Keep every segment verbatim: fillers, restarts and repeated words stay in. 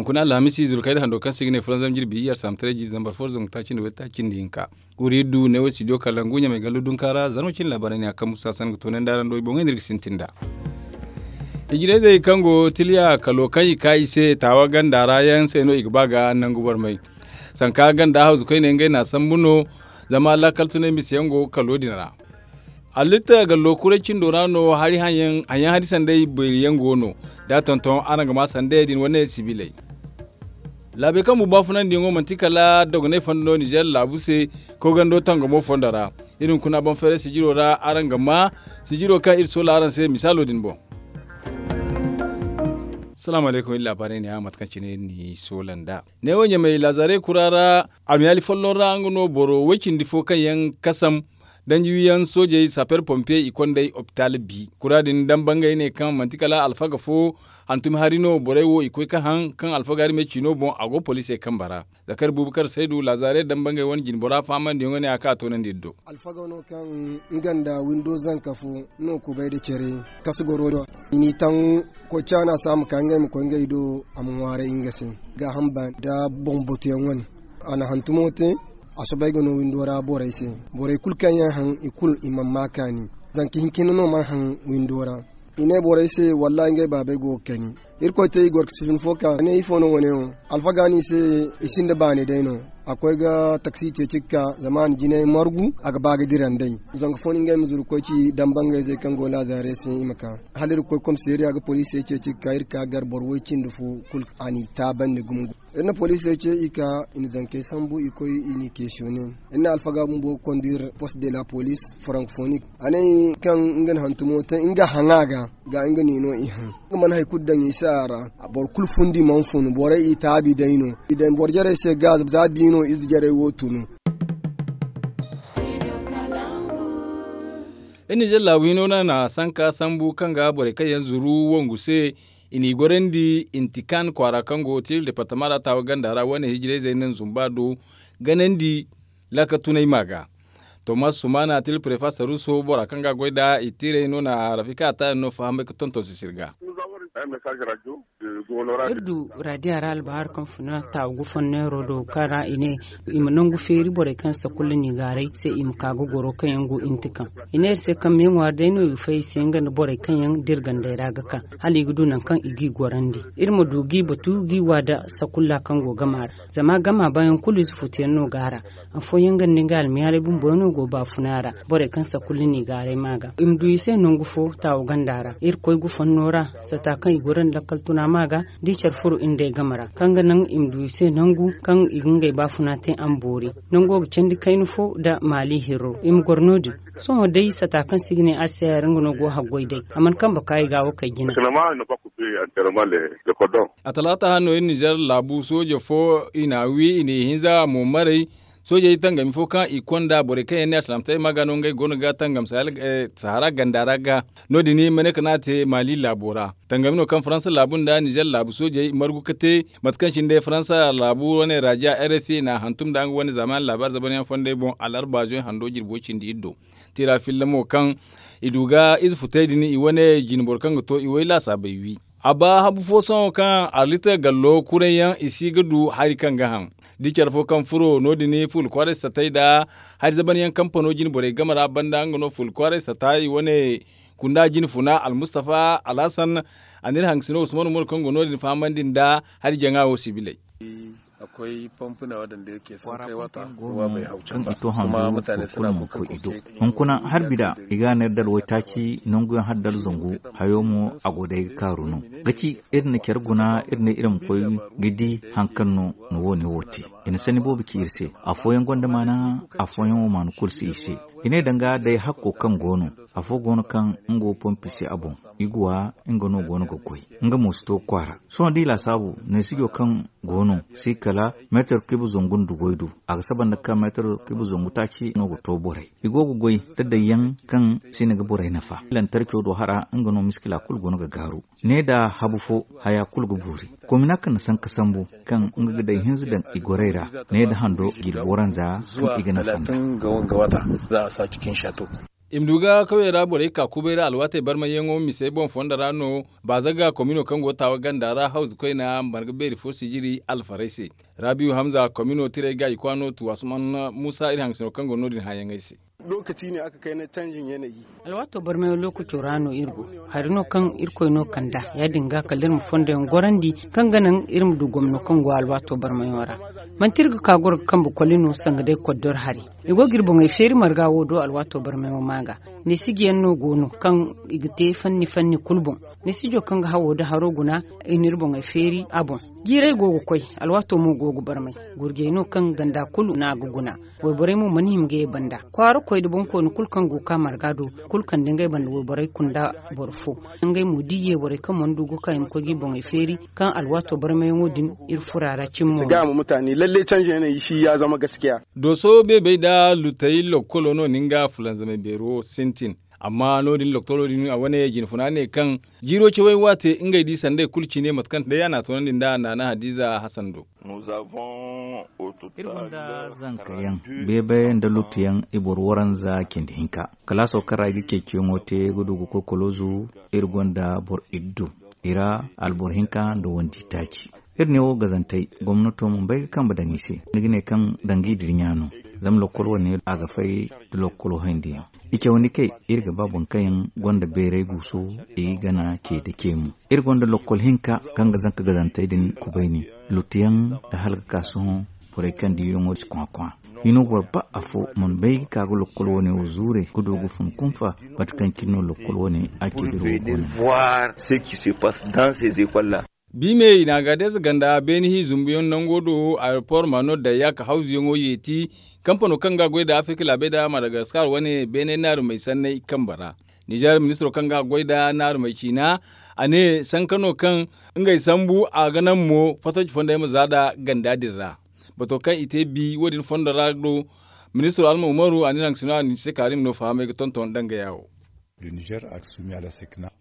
Kuna alhamisi zuru kayna hando kaŋ se i ga ne fulanzam jirbi iyye alsamtaray jiize zambar fo zangu taaci nda waytaaci nda hinka. Wuri du ne wo studio kalangu ɲamay gallo dunka ra zarma cine laabaarey ne a kambu saasan ga toonandi araŋ do i boŋey no iri ga sintin nd'a. Ijirayzey kaŋ go tiliya kalo kaŋ i ka i se taawa ganda ra yaŋ se no i ga ba ga nangu barmay. Sanka ganda hawzu koyne ngey n'a sambu no. Zama laakal tunay misa yaŋ go kalo din ra. Allitta gallo kuray cindo ra no hari hayaŋ hari sanday beeri yaŋ go no. Da tonton araŋ ga ma sanday din wane sibiley. Laabey kaŋ bumbo a funandi yaŋo manti kala dogonay fondo no nizer laabu se. Kogando tangamo fondo ra iri hunkuna boŋ feeray sijiro ra araŋ ga ma sijiro kaŋ iri soola araŋ se misaalo din boŋ. Salaamu alaykum iri laabaarey ne a mate kaŋ cine iri n'i soola nd'a. Ne wo ɲamay laazaarey kura ra. Almiyaali folloŋ ra nga no boro woy cindi fo kaŋ yaŋ kasam danji wiyaŋ soojey saper pompiye i kond'ey opitaal bi kura din dambangey ne kaŋ manti kala alfaga fo. Hantumi hari no borey wo i koy ka haŋ kaŋ alfaga hari me ciino boŋ a go poliisey kambe ra. Zakari bubakar saydu laazaare dambangey wane jinbora fahamandiyaŋo ne a ka a toonandi iri do. Alfaga no kaŋ nga nda windo zanka fo no kubay nda care kasu goro do. I n'i taŋ koy caana se a ma ka ngey ma koy ngey do. A ma ŋwaaray nga se gaaham baani nda boŋ batuyaŋ wane. A na hantumo te a soobay ga no windo ra borey se. Borey kulu kaŋ yaŋ haŋ i kulu i mana ma kaani. Zanka hinka hinne no mana haŋ windo ra. I ne borey se wallahi ngey baabey go ga kani. Irkoy te i goro ga sifin fo ka ne ifo no wane wo. Alfaga no i se i sinda baani day no. A koy ga taksi ceeci ga ka zama a na jinay margu a ga ba ga dira nd'ey. Zanka fo no ngey ma zuru ga koy ci dambangayzey kaŋ go laazaarey se i ma ka hala iri ga koy komiseeriya ga poliisey ceeci ga ka iri ka gar boro woy cindi fo kulu. A n'i taabandi gumo. Iri na poliisey ce i ka i na zankey sambu i koy i n'i keesiyone. Iri na alfaga bumbo ga konduir post de la poliis. Frankofonik a ne kaŋ nga na hantumo te nga haŋa ga ga nga n'i no i haŋ. Nga mana hari kulu daŋ i se a ra. Boro kulu fundi mana funu borey i taabi day no. I daŋ boro jarey se gaaza za da i no ize jarey wo tunu. Iri nizer laabu hino no a na sanka sambu kaŋ ga borey kaŋ yaŋ zuru wangu se. I n'i gorandi intikan kwaara kaŋ go tiiri departama ra taawa ganda ra wane hijirayzey naŋ zumba do ganandi. Laaka tunay ma ga tomas sumana tili prefa saruso bora kaŋ ga a goy nd'a i tiirey no na rafika a taayaŋ no fahamay ga tonton sisir ga. Iri du radiya ra albahar kaŋ funa taawa gu fonneero do kaŋ ra i ne i ma nangu feeri borey kaŋ sakulla n'i gaaray se i ma ka ga goro kaŋ yaŋ go intikan. I ne iri se kaŋ me ŋwaari day no i ga fay i se nga nda borey kaŋ yaŋ da iri gandey ra ga ka hala i ga du nangu kaŋ i g'i gorandi. Iri ma du g'i batu g'i wa nda sakulla kaŋ go gama ra. Zama gama bayaŋ kulu ize futuyaŋ no go a ra. Afooyaŋ ga nda nga almiyaalay bumbo no go baafuna ra. Borey kaŋ sakulla n'i gaaray ma ga i ma du i se nangu fo taawa ganda ra iri koy gufanno ra. Sata kaŋ i goro nda lakkal tuna ma ga da i care furo iri nd'ey game ra kaŋ ga naŋ i ma du i se nangu kaŋ i ga ngey baafuna te a ma boori. Nango ga candi kayna fo nda maali hirro i ma goro no- din. Sohõ day sata kaŋ se i ga ne a se haray nga no go haggoy day a mana kambe ka i ga wo kay jina. A talaata hano iri nizer laabu sooje fo i n'a wi i n'i hinza mo maray. Soojey tangami fo kaŋ i konda borey kaŋ yaŋ ne alsilaamataray ma ga no ngey goono ga tangam sahara ganda ra ga. No- din maneka no a te maali laabo ra. Tangami no kaŋ faransa laabu nda nizer laabu soojey margu ga te. Mate kaŋ cine day faransa laabu wane raja rfi n'a hantum nda nga wane zaamaani laabaari zabanyaŋ fondey boŋ alarba zoy hando jirbo cindi iri do. Tira filla mo kaŋ i du ga ize futey din i wane jine boro kaŋ ga to i way laasaabey wi. A ba habu fo sohõ kaŋ arlita gallo kuray yaŋ i si ga du hari kaŋ ga haŋ. Da care fo kaŋ furo no- din fuula kwaaray satay nda hari zaban yaŋ kampano jine borey game ra banda nga no fuula kwaaray satay wane kunda jine funa almustafa alhasan. A n'iri hangasino usman umaru kaŋ go no- din fahamandi nda hari jaŋa wo sibiley. Kaŋ i to handu boro kulu ma koy i do. Hunkuna harbi da i ga neera dala waytaaci nanguyaŋ hala dala zangu. Hayo mo a go day ga kaaru no ga ci iri na care guna iri ne iri ma koy ga di hari kaŋ no na wo- ne wo te. I na sanni boobo ci iri se. Afooyaŋ gonda maana. Afooyaŋ wo maana kulu si i se. I ne danga day hakko kaŋ go no. Afo go no kaŋ nga wo pompi se a boŋ. I ga wa nga no go no ga goy. Nga mo si to kwaara. Sohõ da i laasaabu neesijo kaŋ go no si kala meetar kiiba zangu nda goy du. A ga saba nda kaŋ meetar kiiba zangu taaci no ga to borey. I go ga goy da dayyaŋ kaŋ si na ga borey nafa lantarco do hara nga no miskila kulu go no ga gaaru. Ne da habu fo haya kulu ga boori. Komina kaŋ na sanka sambu kaŋ nga ga day hinza daŋ i gorey ra. Ne da hando jirbo ranza kaŋ i ga nafa nda. I ma du ga kawyey ra borey ka kubay ra alwaatey barmayyaŋo misey boŋ fondo ra no. Baazaga komino kaŋ go ga taawa ganda ra hawzu koyna marga beeri fo sijiri alfarey se. Rabiyu hamza komino tirey ga i kwaano tu asuman muusa iri hangasino kaŋ go no- din hããyaŋey se. Alwaato barmayaŋ lookaco ra no iri go. Hari no kaŋ irkoy no kand'a ya- din ga kala iri ma fondo yaŋ gorandi kaŋ ga naŋ iri ma du gomno kaŋ go alwaato barmayaŋo ra. Manti iri ga ka goro ga kambe koli no sanga day koddor hari. I go ga iri boŋey feeri marga wo do alwaato barmayaŋo ma ga. Neesijiyaŋ no go no kaŋ i ga te fanni fanni kulu boŋ. Neesijo kaŋ ga hawo nda haro guna i na iri boŋey feeri a boŋ. Jiirey go ga koy. Alwaato mo go ga barmay. Gurjey no kaŋ ganda kulu no a ga guna. Wayborey mo mana hima ga ye banda kwaara koy nda boŋkooni kulu kaŋ go ga ka marga do. Kulu kande ngey banda wayborey kunda boro fo. Ngey mo da i ye borey kaŋ mana du ga ka i ma koy ga i boŋey feeri. Kaŋ alwaato barmayaŋo din iri furo a ra cimi mo. Dooso beebey nda lutey lokkolo no nin ga fulanzamay beero sintin. Amma no- din lokkolo din a wane jinfuna ne kaŋ jiiro cawey waate ngey di sandey kulu cine mate kaŋ day a na a toonandi nd'a naana hadiza hasan do. Iri gonda zanka yaŋ, beebe nda luttu yaŋ i boro waranza cindi hinka. Kalaaso kaŋ ra i ga ceeciyaŋo te ga du ga koy koloozu. Iri gonda boro iddu i ra, alboro hinka nda wandi taaci. Iri ne wo gazantey gomnato ma bay ga kambe daŋ i se. Ni ga ne kaŋ danga i dira ɲa no. Zama lokkol wane a ga fay da lokkolo hayndi yaŋ. I cawandi kay iri ga ba boro kaŋ yaŋ gonda beeray guuso i ga gana ce da ce mo. Iri gonda lokkol hinka kaŋ ga zanka gazantey din kubayni, luttu yaŋ nda hala ga ka sohõ. Borey kaŋ diiyaŋo si kwakwa. Hino boro ba afo mana bay ga ka ga lokkol wane wo zuure ga du ga fun kunfa. Mate kaŋ cine no lokkol wane a ce biro wo go no. Biime i na a gaadayze ganda beene hi zumbuyaŋ nango do aeropor ma no dayya ka hawzuyaŋo yeeti. Kampano kaŋ ga goy nda afirka laabey nda madagaskar wane beene naarumey sanney kambe ra. Nizer ministiro kaŋ ga goy nda naarumey ciina, a ne sanka no kaŋ ngey sambu a ga naŋ mo fattaci fondey ma za nda ganda din ra. Bato kaŋ i te bi wo- din fondo ra do, ministiro alma umaru a ne naŋ sino a ni se kaarim no fahamey ga tonton dangaya wo.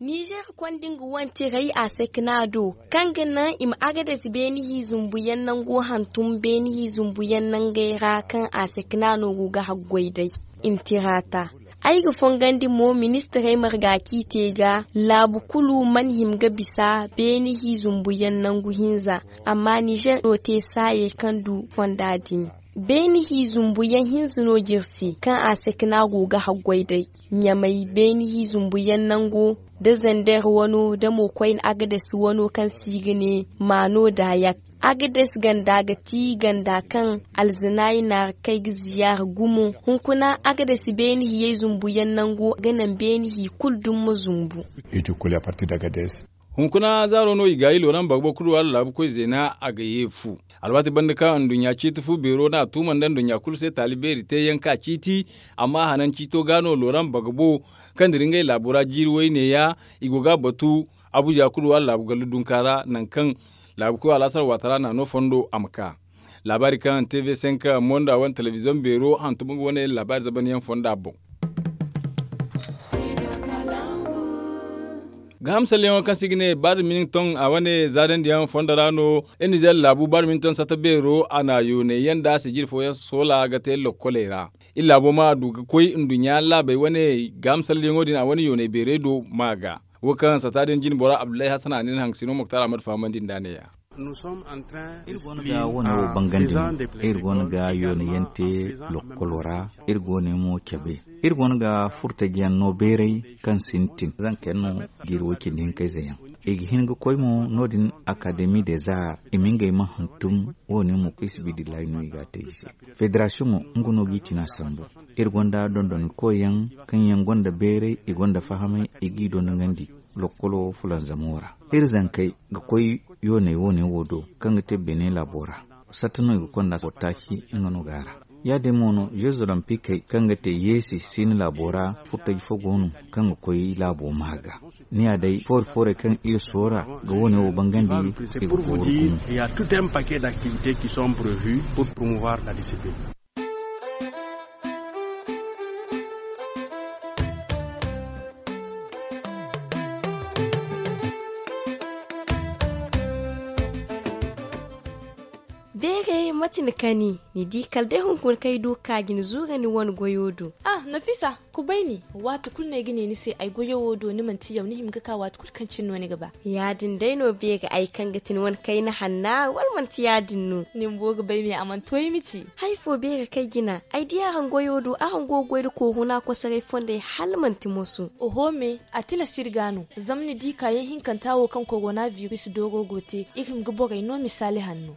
Nizer konda nga wantirey a sekna do, kaŋ ga naŋ i ma agades beene hi zumbuyaŋ nango hantum beene hi zumbuyaŋ nangey ra kaŋ a sekna no go ga haggoy day. I ma tira ta. Ay ga fongandi mo ministirey marga kaŋ i te ga laabu kulu mana hima ga bisa beene hi zumbuyaŋ nangu hinza. Amma nizer no te saayey kaŋ du fonda din. Beene hi zumbuyaŋ hinza no jirsi kaŋ a sekna go ga haggoy day. Ɲamay beene hi zumbuyaŋ nango da zander wano da mo koyne agades wano kaŋ se i ga ne maano daayak. Agades ganda ga ti ganda kaŋ alzinaay naara kay ga ziyaara gumo. Hunkuna agades beene hiyey zumbuyaŋ nango ga naŋ beene hi kulu dumma zumbu. Hunkuna zaaro no i gaayi looraŋ bagbo kulu wala laabu koy zeena a ga ye fu. Alwaati banda kaŋ nduɲɲa ciiti fu beero n'a tuuma nda nduɲɲa kulu se taali beeri teeyaŋ ka ciiti. Amma hanan ciito ga no looraŋ bagbo kaŋ dira ngey laabo ra jiiri wayne ya. I go ga a batu abuja kulu wala laabu gallu dunka ra nangu kaŋ laabu koy alaasar waata ra n'a no fondo a ma ka. Laabaari kaŋ tv cinq monda wane telebiziyoŋ beero hantum nga wane laabaari zabanyaŋ fonda boŋ. Gaaham salleyaŋo kaŋ se i ga ne badminton a wane zaadandiyaŋ fondo ra no. Iri nizer laabu badminton satta beero a na yoonay yaŋ nda sijiri fooyaŋ soola ga te lokkoley ra. Iri laabo ma du ga koy nduɲɲa laabey wane gaaham salleyaŋo din a wane yoonay beerey do ma ga. Wo kaŋ satta din jine bora abdullahi hasan a ne ni hangasino moktar ahmad fahamandi nd'a ne- ya. Iri goono ga wane wo bangandi no. Iri goono ga yoonayyaŋ te lokkolo ra. Iri gooney mo cabe. Iri goono ga furtajiyaŋ no beeray kaŋ sintin zanka yaŋ no jiiri way cindi hinkayze yaŋ. I ga hin ga koy mo no- din akademi des arts i ma ngey ma hantum. Wo- ne mo fiisabilillahi no i ga a te i se. Federasiyoŋo nga no g'i tina sambu. Iri gonda dondonkoy yaŋ kaŋ yaŋ gonda beeray i gonda fahamay i g'i dondonandi. Lokkolo fulanzamo ra iri zankey ga koy yooney woone wo do kaŋ ga te beene laabo ra. Satta no i ga konda boro taaci nga no ga a ra. Ya- din mo no jeux olympiques kaŋ ga te yeesi siina laabo ra furtaji fo go no kaŋ ga koy laabo ma ga. Ni ya day foori foorey kaŋ iri soora ga woone wo bangandi. I ga fooru gumo. Il y a tout un paquet d'activités qui sont prévues pour promouvoir la discipline. Beerey mate? Ti ni kani, ni di kala day hunkuna kaŋ ay du ga ka ga ni zuura ni wane goyo do. Ah, nafisa, kubay ni. Waati kulu no ay ga ne ni se ay goyo wo do ni manti yaw ni hima ga ka waati kulu kaŋ cine no ni ga ba. Ya- din day no beeri ay kaŋ ga ti ni wane kayna hanna wala manti ya- din no? Ni bumbo ga bay me a mana to ay ma ci. Hari fo beeri kaŋ ay jina ay di araŋ goyo do araŋ go ga goy nda koohuna kosoray fondey hala manti moso. Oho me, a tilas iri ga no. Zama ni di kaayaŋ hinkanta wo kaŋ korona biris dooro go te, iri hima ga borey no misaali hanno.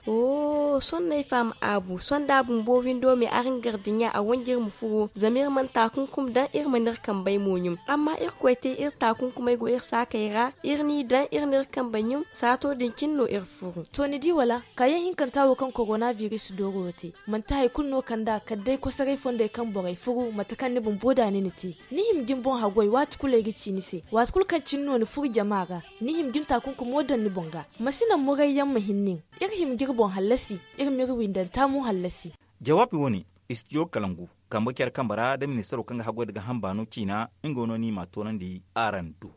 Sohõ no ay faham aabu sohõ da a bumbo windo me araŋ gar dinya a wanji iri ma furo zama iri mana taakunkum daŋ iri mana iri kambey mo ɲum. Amma irkoy te iri taakunkumey go iri saakey ra. Iri n'i daŋ iri n'iri kambey ɲum saato din cine no iri furu. To ni di wala? Kaayaŋ hinkanta wo kaŋ korona biris dooro te, manti hari kulu no kand'a kala day kosoray fondey kaŋ borey furu mate kaŋ ni bumbo da ni na te. Ni hima ga ni boŋ haggoy waati kulu ay ga ci ni se waati kulu kaŋ cine no ni furu jama ra. Ni hima ga ni taakunkumo daŋ ni boŋ ga. Ma si naŋ murayyaŋ ma hin nin. Iri hima ga iri boŋ hallasi. Iri m'iri windanta mo hallasi. Jawaabi wo- ne, istidiyo kalangu kambe care kambe ra nda ministaro kaŋ ga haggoy nda ga hamba no ciina. Nga no ni m'a toonandi araŋ do.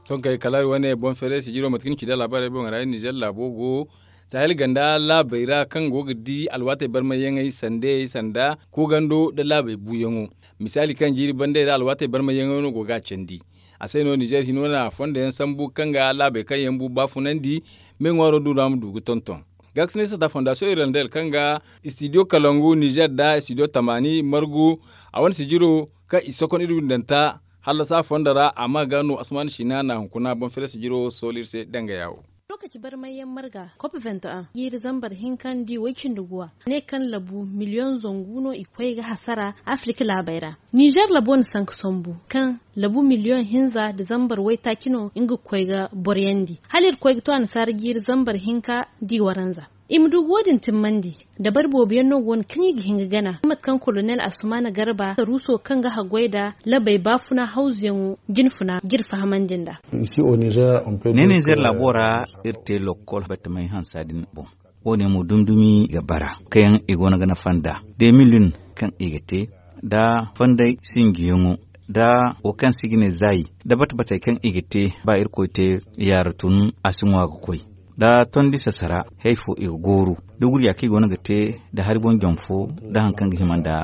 Sonkey kala iri wane boŋ feeray sijiro mate kaŋ ni ci nda laabaarey boŋ ra iri nizer laabo go sahel ganda laabey ra kaŋ go ga di alwaatey barmayyaŋey sandeyey sanda koogando nda laabey buuyaŋo. Misaali kaŋ jiiri bandey ra alwaatey barmayyaŋey no go ga a candi. A se no nizer hino na fondo yaŋ sambu kaŋ ga laabey kaŋ yaŋ bu baafunandi. Me ŋwaaro du ra ma du ga tonton. Gaakasinay sata fondasiyoŋ irlandel kaŋ ga istidiyo kalangu nizer nda istidiyo tamaani margu a wane sijiro kaŋ i sokon iri windanta hallasa fondo ra a ma ga no asamaana siina na hunkuna boŋ fere sijiro sooli iri se danga yaawo. Lookaci barmayyaŋ marga kop venti en jiiri zambar hinka nda i way cindi guwa ne kaŋ labu miliyoŋ zangu no i koy ga hasara afirik laabey ra. Nizer labo na sanka sambu kaŋ labu miliyoŋ hinza nda zambar waytaaci no nga ga koy ga boroyandi hala iri koy ga to annasaara jiiri zambar hinka nda i waranza. I ma du ga wo- din timmandi. Dabari boobo yaŋ no go no kaŋ i ga hin ga gana mate kaŋ kolonel asumaana garba saruuso kaŋ ga haggoy nda labey baafuna hawzuyaŋo jinfuna ga iri fahamandi nd'a. Ne nizer laabo ra iri te lokkol batamey hansa din boŋ. Wo- ne mo dumi-dumi ga bara kaŋ yaŋ i go no ga nafa nd'a de mil yun kaŋ i ga te nda fonday sinjiyaŋo nda wo kaŋ se i ga ne zaayi nda bate-batey kaŋ i ga te ba irkoy te yaara tun a si ŋwa ga koy nda tondi sasara. Hay fo i ga gooru da gurya kaŋ i go no ga te nda hari boŋ jom fo nda hari kaŋ ga hima nda.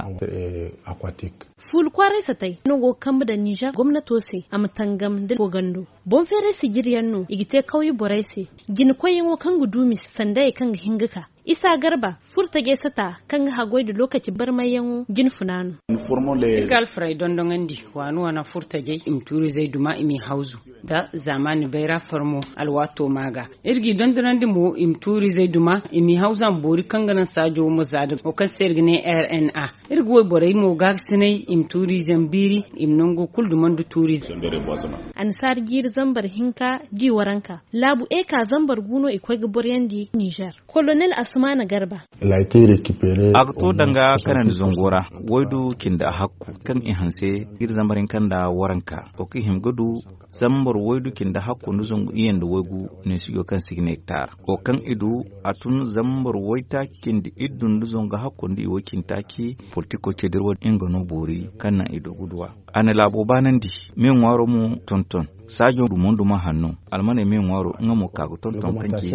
Fuula kwaaray satay no go ga kambe daŋ nizer gomnato se a ma tangam nda koogando. Boŋ feeray sijiri yaŋ no i ga te kawye borey se. Jina koyyaŋo kaŋ ga du misa sandayey kaŋ ga hin ga ka isa garba furtajey sata kaŋ ga haggoy nda lookaci barmayyaŋo jinfuna no. Iri ga alfarey dondoŋandi waani waana furtajey i ma tuurizey duma i m'i hawzu nda zaamaani bayra farmo alwaato ma ga. Iri g'i dondonandi mo i ma tuurizey duma i m'i hawzu a ma boori kaŋ ga naŋ saajo ma za nda wo kaŋ se iri ga ne r n a. Iri ga wayborey mo gaakasinay i ma tuuriize ma biiri i ma nango kulu dumandi tuuriize. Annasaara jiiri zambar hinka di waranka laabu eka zambar gu no i koy ga boryandi nizer. Kolonel asumaana garba. A ga to danga kanandi zango ra waydu cindi a hakku kaŋ i hanse jiiri zambar hinka nda waranka wo kaŋ i hima ga du zambar waydu cindi hakku nda zangu iyye nda waygu. Neesijo kaŋ se i ga ne hektar wo kaŋ i du a tun zambar waytaaci cindi iddu nda zangu hakku nda i way cindi taaci. Politiko ce dira wo- din nga no boori kaŋ naŋ i du ga duw'a. A na laabo baanandi me ŋwaaro mo tonton saajo dumo-dumo hanno. Almaney me ŋwaaro nga mo ka ga tonton kaŋ ci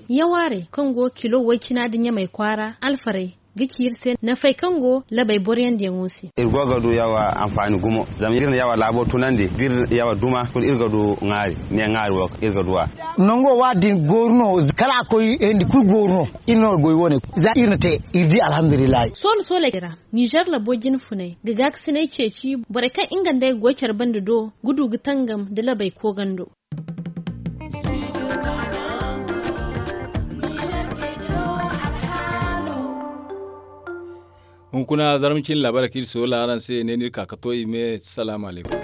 yawaarey kaŋ go kilo way-cina nda ɲamey kwaara alfarey ga ci iri se nafey kaŋ go labey boroyandiyaŋo se. Iri go ga du yawa anfaani gumo zama iri na yawa laabo tunandi da iri na yawa duma kulu iri ga du ŋaari ne ŋaari wo iri ga du a. Nango waati din gooru no kala a koy hendi kulu gooru no. Iri no goy wo- ne za iri na te iri di alhamdulillahi. Soolo sooley ra nizer labo jinfuney ga gaakasiney ceeci borey kaŋ nga nd'ey ga goy care bande do ga du ga tangam nda labey koogando. Hunkuna zarma cine laabaarey kaŋ iri soola araŋ se ne no iri ka ga to i me salaamu alaykum.